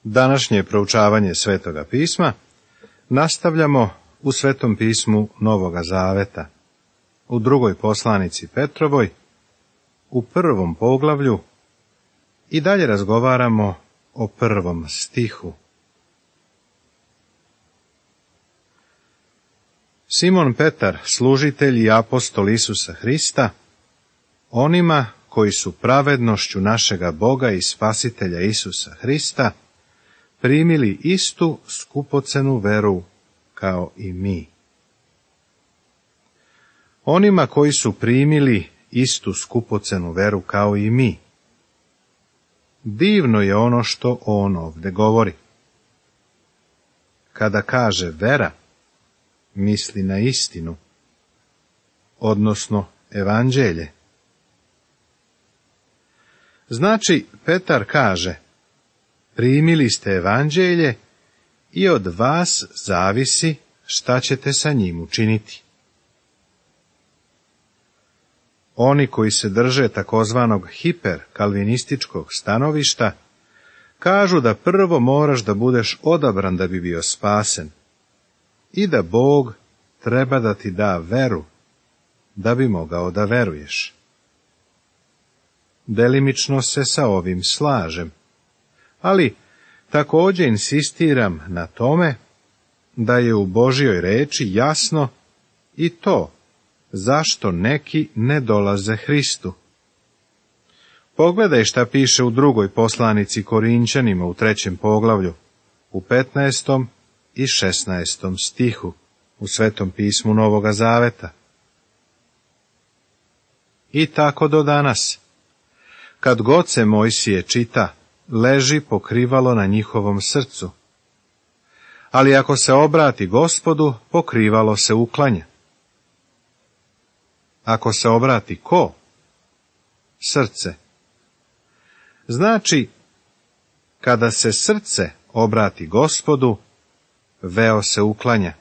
Današnje proučavanje Svetoga pisma nastavljamo u Svetom pismu Novoga Zaveta, u drugoj poslanici Petrovoj, u prvom poglavlju i dalje razgovaramo o prvom stihu. Simon Petar, služitelj i apostol Isusa Hrista, onima koji su pravednošću našega Boga i Spasitelja Isusa Hrista primili istu skupocenu veru kao i mi. Onima koji su primili istu skupocenu veru kao i mi. Divno je ono što on ovdje govori. Kada kaže vera, misli na istinu, odnosno evanđelje. Znači, Petar kaže, primili ste evanđelje i od vas zavisi šta ćete sa njim učiniti. Oni koji se drže takozvanog hiperkalvinističkog stanovišta kažu da prvo moraš da budeš odabran da bi bio spasen i da Bog treba da ti da veru da bi mogao da veruješ. Delimično se sa ovim slažem, ali također insistiram na tome da je u Božjoj reči jasno i to zašto neki ne dolaze Hristu. Pogledaj šta piše u drugoj poslanici Korinćanima u 3. poglavlju, u 15. i 16. stihu, u Svetom pismu Novoga Zaveta. I tako do danas. Kad god se Mojsije čita, leži pokrivalo na njihovom srcu. Ali ako se obrati Gospodu, pokrivalo se uklanja. Ako se obrati ko? Srce. Znači, kada se srce obrati Gospodu, veo se uklanja.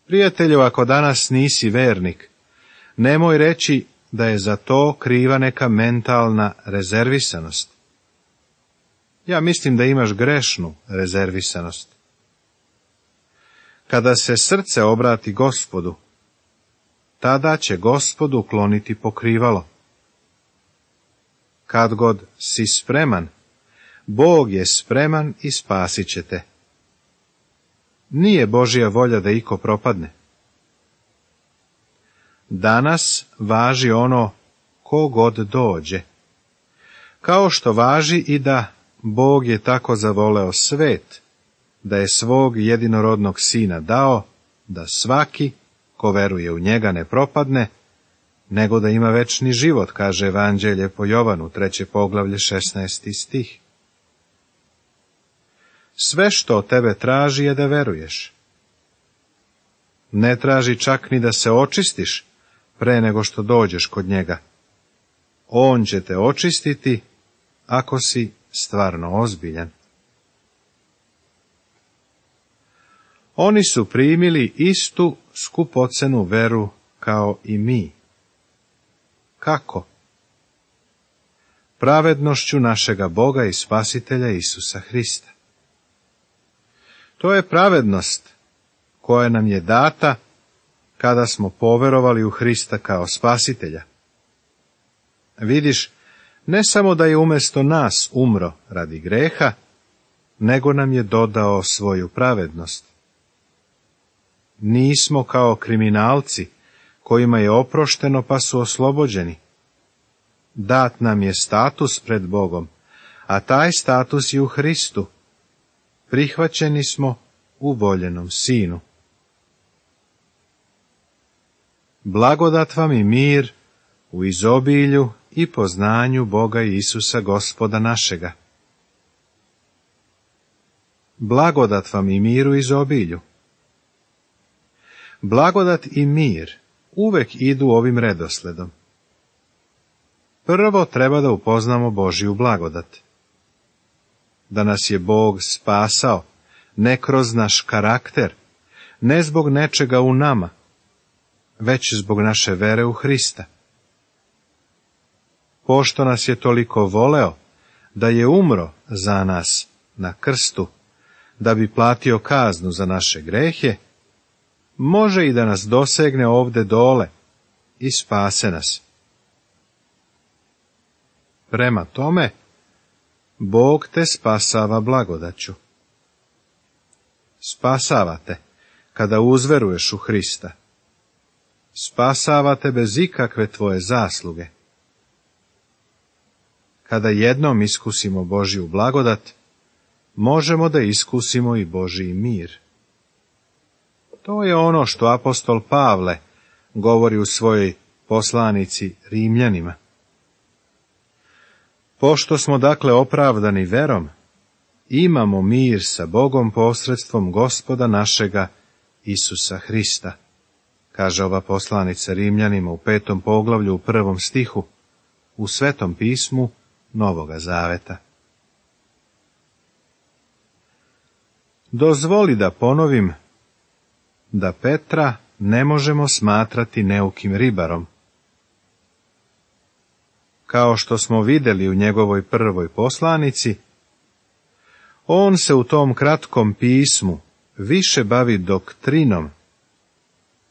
Prijatelju, ako danas nisi vernik, nemoj reći da je za to kriva neka mentalna rezervisanost. Ja mislim da imaš grešnu rezervisanost. Kada se srce obrati Gospodu, tada će Gospodu ukloniti pokrivalo. Kad god si spreman, Bog je spreman i spasit će te. Nije Božja volja da iko propadne. Danas važi ono ko god dođe. Kao što važi i da Bog je tako zavoleo svet, da je svog jedinorodnog sina dao, da svaki ko veruje u njega ne propadne, nego da ima večni život, kaže Evanđelje po Jovanu, 3. poglavlje, 16. stih. Sve što od tebe traži je da veruješ. Ne traži čak ni da se očistiš pre nego što dođeš kod njega. On će te očistiti ako si stvarno ozbiljan. Oni su primili istu skupocenu veru kao i mi. Kako? Pravednošću našega Boga i Spasitelja Isusa Hrista. To je pravednost koja nam je data kada smo poverovali u Hrista kao Spasitelja. Vidiš, ne samo da je umjesto nas umro radi greha, nego nam je dodao svoju pravednost. Nismo kao kriminalci, kojima je oprošteno pa su oslobođeni. Dat nam je status pred Bogom, a taj status je u Hristu. Prihvaćeni smo u voljenom Sinu. Blagodat vam i mir u izobilju i poznanju Boga i Isusa Gospoda našega. Blagodat vam i mir u izobilju. Blagodat i mir uvek idu ovim redosledom. Prvo treba da upoznamo Božju blagodat. Da nas je Bog spasao, ne kroz naš karakter, ne zbog nečega u nama, već zbog naše vere u Hrista. Pošto nas je toliko voleo, da je umro za nas na krstu, da bi platio kaznu za naše grehe, može i da nas dosegne ovde dole i spase nas. Prema tome, Bog te spasava blagodaću. Spasavate kada uzveruješ u Hrista. Spasavate bez ikakve tvoje zasluge. Kada jednom iskusimo Božju blagodat, možemo da iskusimo i Božji mir. To je ono što apostol Pavle govori u svojoj poslanici Rimljanima. Pošto smo dakle opravdani verom, imamo mir sa Bogom posredstvom Gospoda našega Isusa Hrista, kaže ova poslanica Rimljanima u 5. poglavlju u 1. stihu, u Svetom pismu Novoga Zaveta. Dozvoli da ponovim da Petra ne možemo smatrati neukim ribarom. Kao što smo vidjeli u njegovoj prvoj poslanici, on se u tom kratkom pismu više bavi doktrinom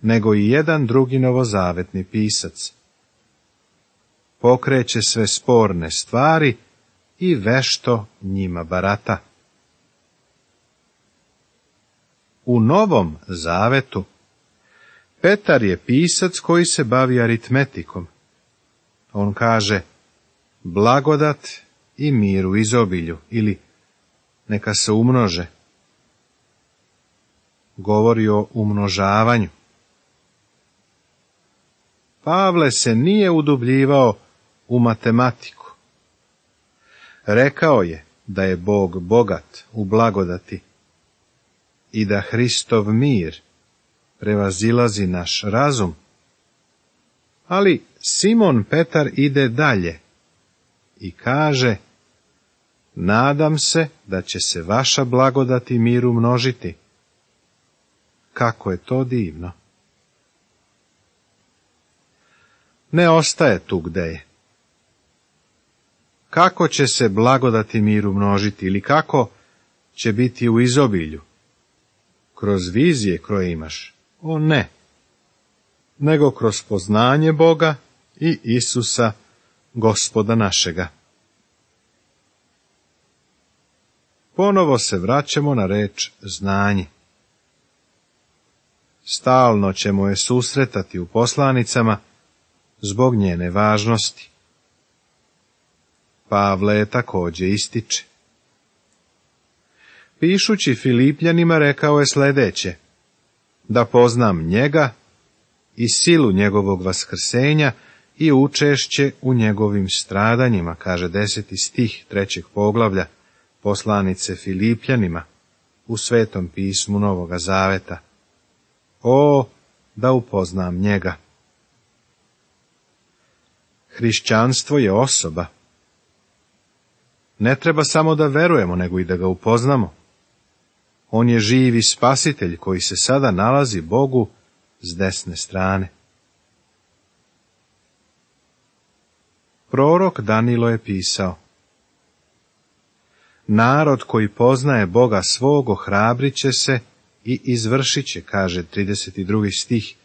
nego i jedan drugi novozavetni pisac. Pokreće sve sporne stvari i vešto njima barata. U Novom Zavetu Petar je pisac koji se bavi aritmetikom. On kaže blagodat i mir u izobilju, ili neka se umnože. Govori o umnožavanju. Pavle se nije udubljivao u matematiku. Rekao je da je Bog bogat u blagodati i da Hristov mir prevazilazi naš razum. Ali Simon Petar ide dalje i kaže, nadam se da će se vaša blagodat i mir umnožiti. Kako je to divno! Ne ostaje tu gde je. Kako će se blagodat i mir umnožiti ili kako će biti u izobilju? Kroz vizije koje imaš? O ne! Nego kroz poznanje Boga i Isusa, Gospoda našega. Ponovo se vraćamo na reč znanje. Stalno ćemo je susretati u poslanicama zbog njene važnosti. Pavle je također ističe. Pišući Filipljanima rekao je sljedeće, da poznam njega i silu njegovog vaskrsenja i učešće u njegovim stradanjima, kaže 10. stih 3. poglavlja poslanice Filipljanima u Svetom pismu Novoga Zaveta. O, da upoznam njega! Hrišćanstvo je osoba. Ne treba samo da verujemo, nego i da ga upoznamo. On je živi spasitelj koji se sada nalazi Bogu s desne strane. Prorok Danilo je pisao, narod koji poznaje Boga svog ohrabrit će se i izvršit će, kaže 32. stih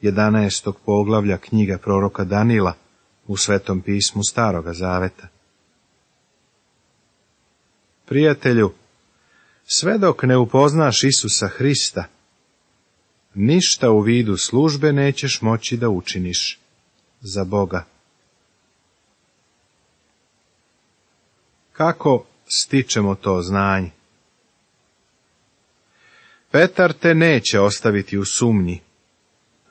11. poglavlja knjiga proroka Danila u Svetom pismu Staroga Zaveta. Prijatelju, sve dok ne upoznaš Isusa Hrista, ništa u vidu službe nećeš moći da učiniš za Boga. Kako stičemo to znanje? Petar te neće ostaviti u sumnji,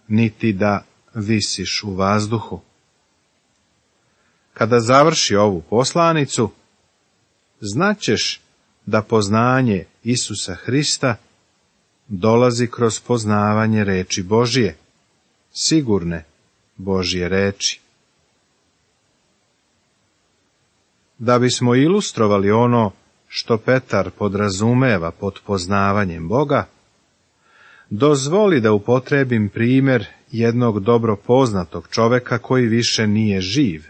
niti da visiš u vazduhu. Kada završi ovu poslanicu, znaćeš da poznanje Isusa Hrista dolazi kroz poznavanje reči Božije, sigurne Božje reči. Da bismo ilustrovali ono što Petar podrazumeva pod poznavanjem Boga, dozvoli da upotrebim primjer jednog dobro poznatog čoveka koji više nije živ.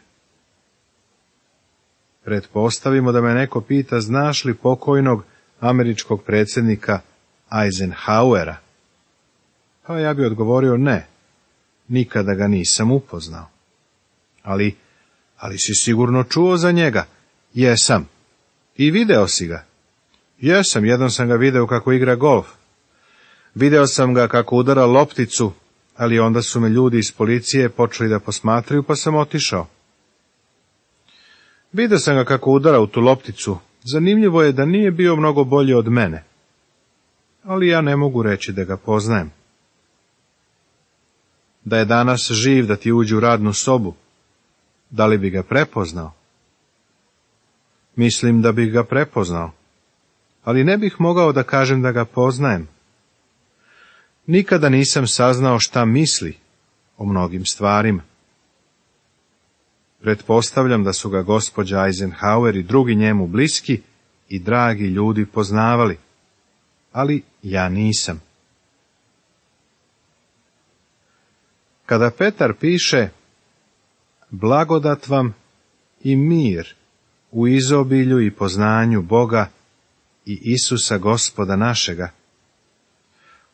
Pretpostavimo da me neko pita, znaš li pokojnog američkog predsjednika Eisenhowera? Pa ja bi odgovorio ne, nikada ga nisam upoznao. Ali si sigurno čuo za njega? Jesam. I video si ga? Jesam, jednom sam ga video kako igra golf. Video sam ga kako udara lopticu, ali onda su me ljudi iz policije počeli da posmatraju, pa sam otišao. Video sam ga kako udara u tu lopticu. Zanimljivo je da nije bio mnogo bolji od mene. Ali ja ne mogu reći da ga poznajem. Da je danas živ, da ti uđe u radnu sobu, da li bi ga prepoznao? Mislim da bih ga prepoznao, ali ne bih mogao da kažem da ga poznajem. Nikada nisam saznao šta misli o mnogim stvarima. Pretpostavljam da su ga gospođa Eisenhower i drugi njemu bliski i dragi ljudi poznavali, ali ja nisam. Kada Petar piše blagodat vam i mir u izobilju i poznanju Boga i Isusa Gospoda našega,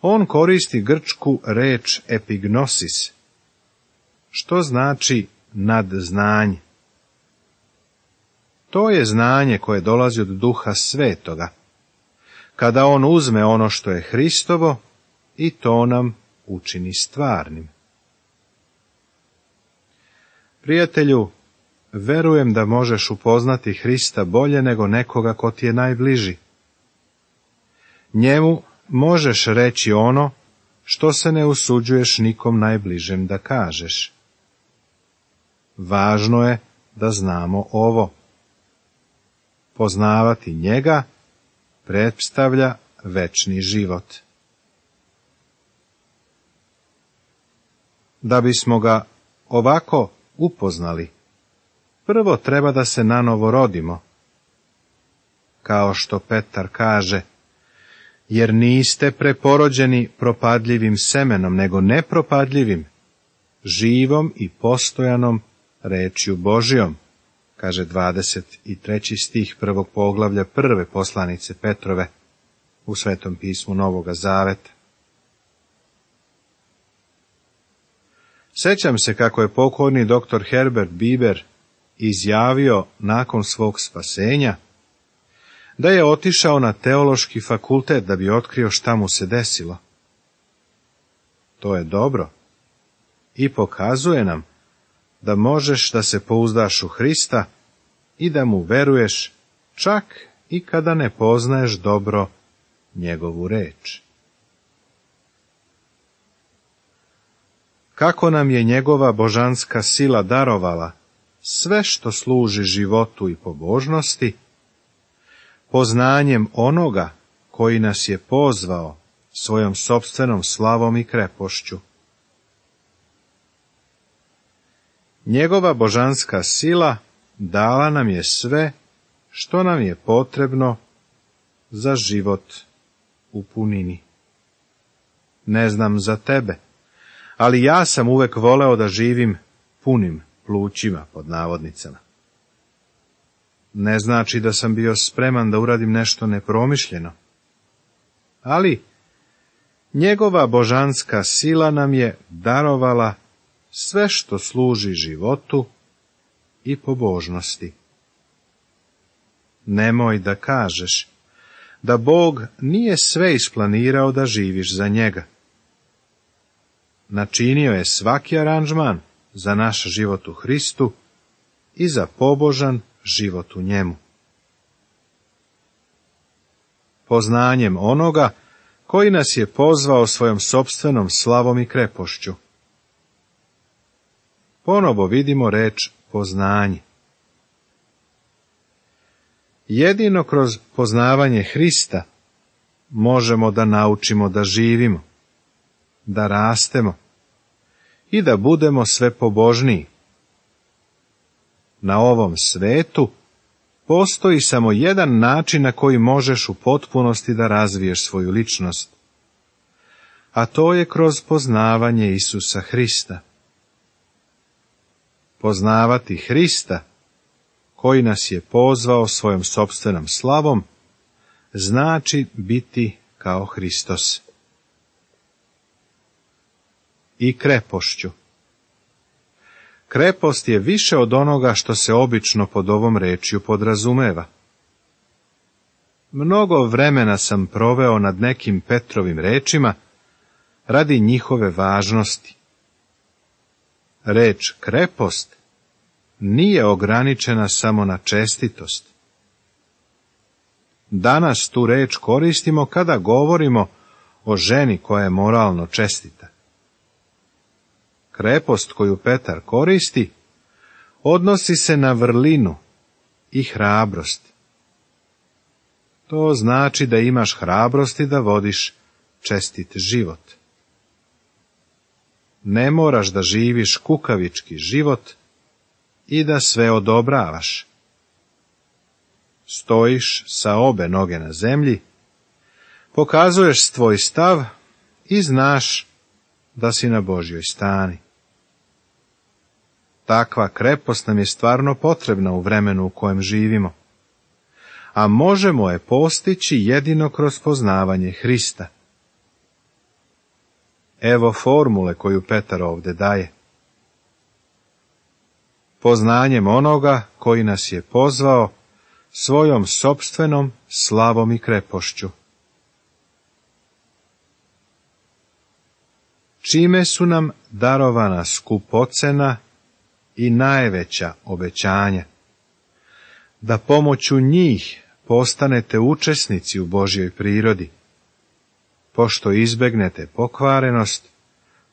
on koristi grčku reč epignosis, što znači nadznanje. To je znanje koje dolazi od Duha Svetoga, kada on uzme ono što je Hristovo i to nam učini stvarnim. Prijatelju, verujem da možeš upoznati Hrista bolje nego nekoga ko ti je najbliži. Njemu možeš reći ono što se ne usuđuješ nikom najbližem da kažeš. Važno je da znamo ovo. Poznavati njega predstavlja večni život. Da bismo ga ovako upoznali, prvo treba da se nanovo rodimo. Kao što Petar kaže, jer niste preporođeni propadljivim semenom, nego nepropadljivim, živom i postojanom rečju Božijom, kaže 23. stih 1. poglavlja 1. poslanice Petrove u Svetom pismu Novoga Zaveta. Sećam se kako je pokojni dr. Herbert Bieber izjavio nakon svog spasenja da je otišao na teološki fakultet da bi otkrio šta mu se desilo. To je dobro i pokazuje nam da možeš da se pouzdaš u Hrista i da mu veruješ čak i kada ne poznaješ dobro njegovu reč. Kako nam je njegova božanska sila darovala sve što služi životu i pobožnosti, poznanjem onoga koji nas je pozvao svojom sopstvenom slavom i krepošću. Njegova božanska sila dala nam je sve što nam je potrebno za život u punini. Ne znam za tebe, ali ja sam uvek voleo da živim punim plućima, pod navodnicama. Ne znači da sam bio spreman da uradim nešto nepromišljeno, ali njegova božanska sila nam je darovala sve što služi životu i pobožnosti. Nemoj da kažeš da Bog nije sve isplanirao da živiš za njega. Načinio je svaki aranžman za naš život u Hristu i za pobožan život u njemu. Poznanjem onoga koji nas je pozvao svojom sopstvenom slavom i krepošću. Ponovo vidimo reč poznanje. Jedino kroz poznavanje Hrista možemo da naučimo da živimo, da rastemo i da budemo sve pobožniji. Na ovom svetu postoji samo jedan način na koji možeš u potpunosti da razviješ svoju ličnost, a to je kroz poznavanje Isusa Hrista. Poznavati Hrista, koji nas je pozvao svojom sopstvenom slavom, znači biti kao Hristos. I krepošću. Krepost je više od onoga što se obično pod ovom rečju podrazumeva. Mnogo vremena sam proveo nad nekim Petrovim rečima radi njihove važnosti. Reč krepost nije ograničena samo na čestitost. Danas tu reč koristimo kada govorimo o ženi koja je moralno čestita. Krepost koju Petar koristi odnosi se na vrlinu i hrabrost. To znači da imaš hrabrosti da vodiš čestit život. Ne moraš da živiš kukavički život i da sve odobravaš. Stojiš sa obe noge na zemlji, pokazuješ svoj stav i znaš da si na Božjoj strani. Takva krepost nam je stvarno potrebna u vremenu u kojem živimo, a možemo je postići jedino kroz poznavanje Hrista. Evo formule koju Petar ovdje daje. Poznanjem onoga koji nas je pozvao svojom sopstvenom slavom i krepošću. Čime su nam darovana skupocena i najveća obećanja, da pomoću njih postanete učesnici u Božjoj prirodi, pošto izbegnete pokvarenost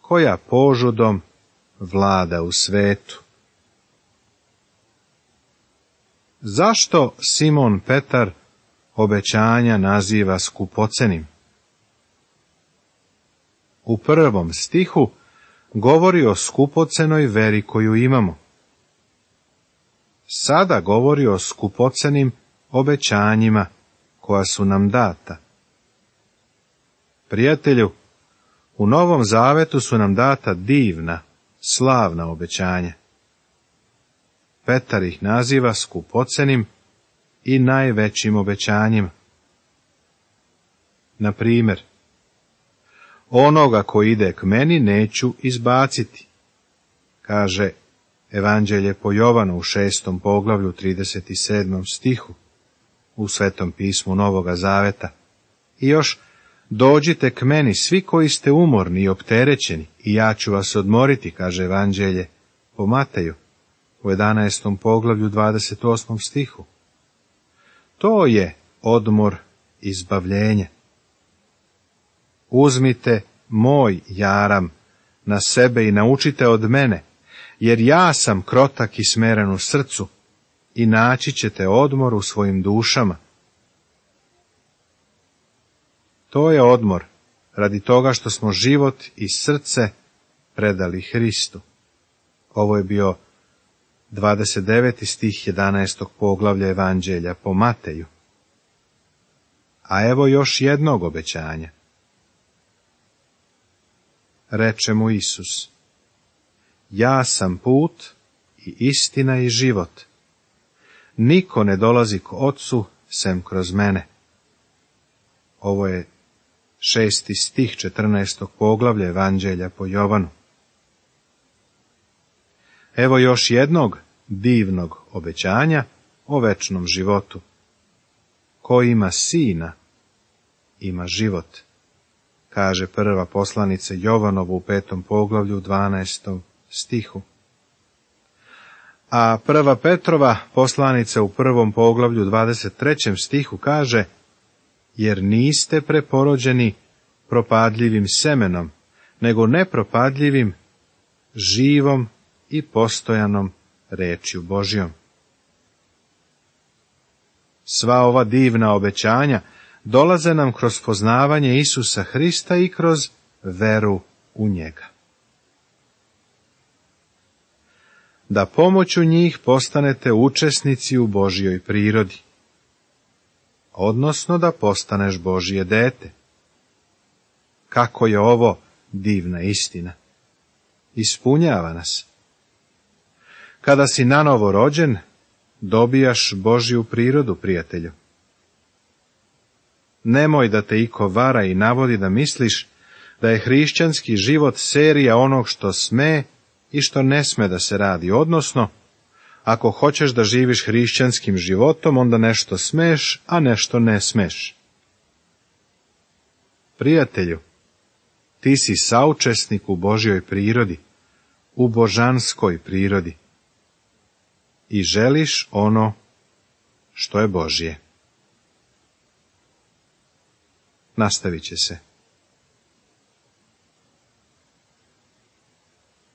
koja požudom vlada u svetu. Zašto Simon Petar obećanja naziva skupocenim? U 1. stihu govori o skupocenoj veri koju imamo. Sada govori o skupocenim obećanjima koja su nam data. Prijatelju, u Novom Zavetu su nam data divna, slavna obećanja. Petar ih naziva skupocenim i najvećim obećanjima. Na primjer, onoga ko ide k meni neću izbaciti, kaže Evanđelje po Jovanu u 6. poglavlju 37. stihu u Svetom pismu Novoga Zaveta. I još, dođite k meni svi koji ste umorni i opterećeni i ja ću vas odmoriti, kaže Evanđelje po Mateju u 11. poglavlju 28. stihu. To je odmor izbavljenja. Uzmite moj jaram na sebe i naučite od mene, jer ja sam krotak i smeren u srcu, i naći ćete odmor u svojim dušama. To je odmor radi toga što smo život i srce predali Hristu. Ovo je bio 29. stih 11. poglavlja Evanđelja po Mateju. A evo još jednog obećanja. Reče mu Isus: ja sam put i istina i život. Niko ne dolazi k Otcu sem kroz mene. Ovo je 6. stih 14. poglavlja Evanđelja po Jovanu. Evo još jednog divnog obećanja o večnom životu. Ko ima sina, ima život, kaže prva poslanica Jovanovu u 5. poglavlju 12. stihu. A prva Petrova poslanica u 1. poglavlju 23. stihu kaže: jer niste preporođeni propadljivim semenom, nego nepropadljivim, živom i postojanom rečju Božjom. Sva ova divna obećanja dolaze nam kroz poznavanje Isusa Hrista i kroz veru u njega. Da pomoću njih postanete učesnici u Božjoj prirodi, odnosno da postaneš Božje dete. Kako je ovo divna istina! Ispunjava nas. Kada si nanovo rođen, dobijaš Božju prirodu, prijatelju. Nemoj da te iko vara i navodi da misliš da je hrišćanski život serija onog što sme i što ne sme da se radi, odnosno, ako hoćeš da živiš hrišćanskim životom, onda nešto smeš, a nešto ne smeš. Prijatelju, ti si saučesnik u Božjoj prirodi, u božanskoj prirodi i želiš ono što je Božje. Nastavit će se.